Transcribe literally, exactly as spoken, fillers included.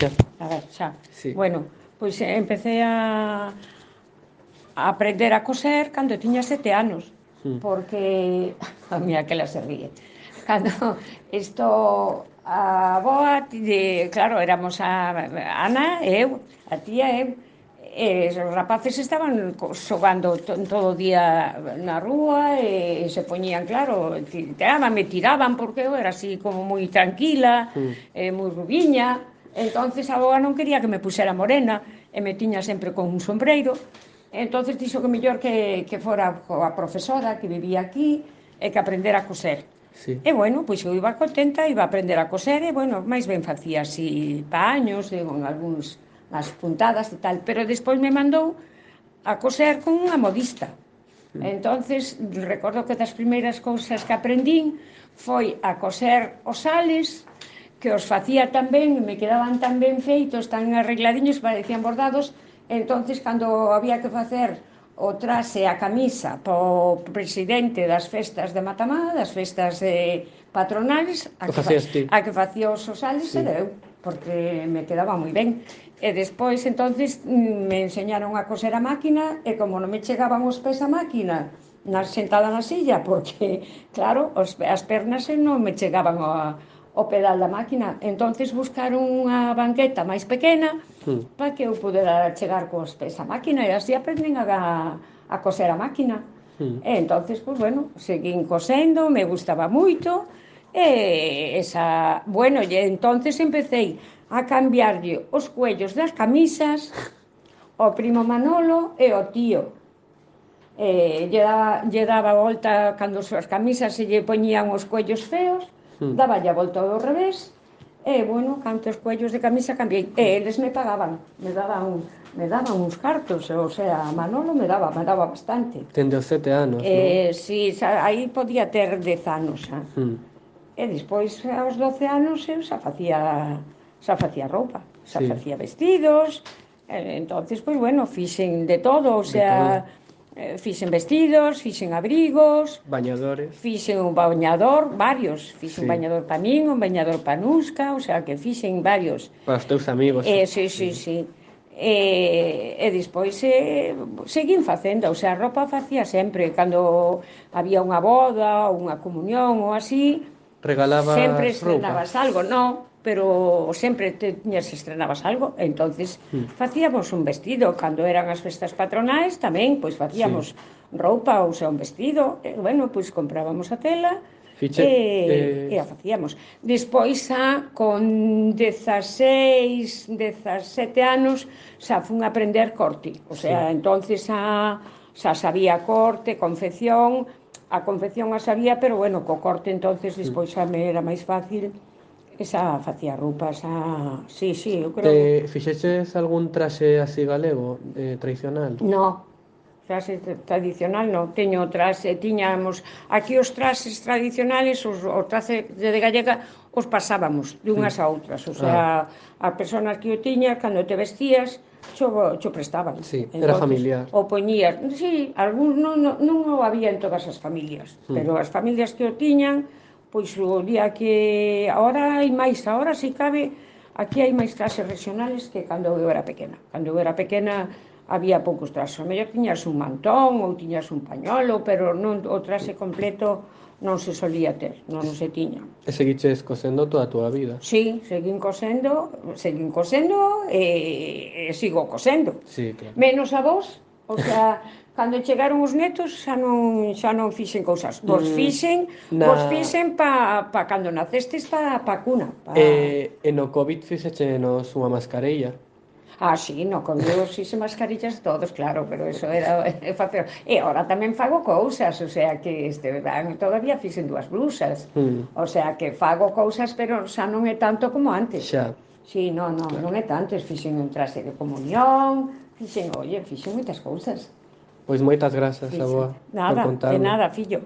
xa. A ver, xa. Sí. Bueno, pois eh, empecé a, a aprender a coser cando tiña sete anos, Mm. porque a mía que la se ríe. Cando isto a boa, de, claro, éramos a Ana e eu, a tía e eu, e os rapaces estaban xogando todo o día na rúa e se poñían, claro, tiraban, me tiraban porque eu era así como moi tranquila, Mm. eh, moi rubiña. Entonces a boa non quería que me puxera morena e me tiña sempre con un sombreiro. Entonces dixo que mellor que, que fora a profesora que vivía aquí e que aprendera a coser. Sí. E bueno, pois eu iba contenta, iba a aprender a coser e bueno, máis ben facía así paños e con algúns as puntadas e tal, pero despois me mandou a coser con unha modista. Entonces recordo que das primeiras cousas que aprendín foi a coser os sales, que os facía tan ben, me quedaban tan ben feitos, tan arregladiños, parecían bordados. Entonces cando había que facer o traxe a camisa para o presidente das festas de Matamá, das festas eh, patronales, a O que, facías ti? a que facía os sales Sí. era eu, porque me quedaba moi ben. E despois, entonces, me enseñaron a coser a máquina e como non me chegaban os pés a máquina na, sentada na silla, porque, claro, os, as pernas non me chegaban ao, ao pedal da máquina. Entonces buscaron unha banqueta máis pequena Mm. para que eu pudera chegar cos pés a máquina e así aprendín a, a coser a máquina. Mm. E entonces, pues bueno, seguín cosendo, me gustaba moito e esa, bueno, e entonces empecé a cambiarlle os cuellos das camisas ao primo Manolo e ao tío. E lle daba, lle daba a volta cando as camisas se lle poñían os cuellos feos, Mm. daba a volta ao revés e, bueno, cantos cuellos de camisa cambiei. E eles me pagaban, me daban, me daban uns cartos, o sea, Manolo me daba, me daba bastante. Dende os sete anos, Eh, non? si, xa, aí podía ter dez anos, xa. Mm. E despois, aos doce anos, eu xa facía, xa facía roupa, xa Sí. facía vestidos. E, entonces, pois, bueno, fixen de todo, o De sea, todo. eh, fixen vestidos, fixen abrigos, Bañadores. fixen un bañador, varios, fixen Sí. un bañador para min, un bañador para Nusca, o sea, que fixen varios. Para os teus amigos. Eh, sí, sí, sí. E, e despois eh, seguín facendo, o sea, a roupa facía sempre, cando había unha boda, unha comunión ou así, sempre Regalabas roupa? estrenabas algo, non, pero sempre teñas estrenabas algo. Entonces Mm. facíamos un vestido, cando eran as festas patronais tamén, pois facíamos Sí. roupa, ou sea, un vestido, e, bueno, pois comprábamos a tela Fiche, e, eh... e a facíamos. Despois xa con dezaseis, dezasete anos xa fun a aprender corte, o sea, Sí. entonces xa, xa sabía corte, confección. A confección a sabía, pero bueno, co corte entonces despois xa me era máis fácil e xa facía roupa, xa, sí, sí, eu creo que Te fixeches algún traxe así galego, eh, tradicional? no, traxe tradicional non, teño traxe, tiñamos aquí os traxes tradicionales, os, o traxe de gallega os pasábamos de unhas a outras, o sea, Ah. as persoas que o tiñas, cando te vestías, cho, cho prestaban. Sí, era Entonces, familiar. o poñías, sí, algún non, non, non o había en todas as familias, Mm. pero as familias que o tiñan, pois o día que, agora hai máis, agora si cabe, aquí hai máis traxes regionales que cando eu era pequena. Cando eu era pequena había poucos traxes, o mellor tiñas un mantón ou tiñas un pañolo, pero non, o traxe completo non se solía ter, non se tiña. E seguiches cosendo toda a túa vida? Sí, seguín cosendo, seguín cosendo e, e sigo cosendo. Sí, claro. Menos a vos, o sea, cando chegaron os netos xa non, xa non fixen cousas. Vos Mm, fixen, na... vos fixen pa, pa cando nacestes pa, pa cuna. Pa... E, e no COVID fixechenos unha mascarilla. Ah, sí, no comigo fixe mascarillas todos, claro, pero eso era facer. E agora tamén fago cousas, o sea, que este verán todavía fixen dúas blusas. Mm. O sea, que fago cousas, pero xa non é tanto como antes. Xa. Sí, non, non, Claro. non é tanto, fixen un traxe de comunión, fixen, oye, fixen moitas cousas. Pois moitas grazas, Fixen. avoa, por Nada, de contarme. nada, fillo.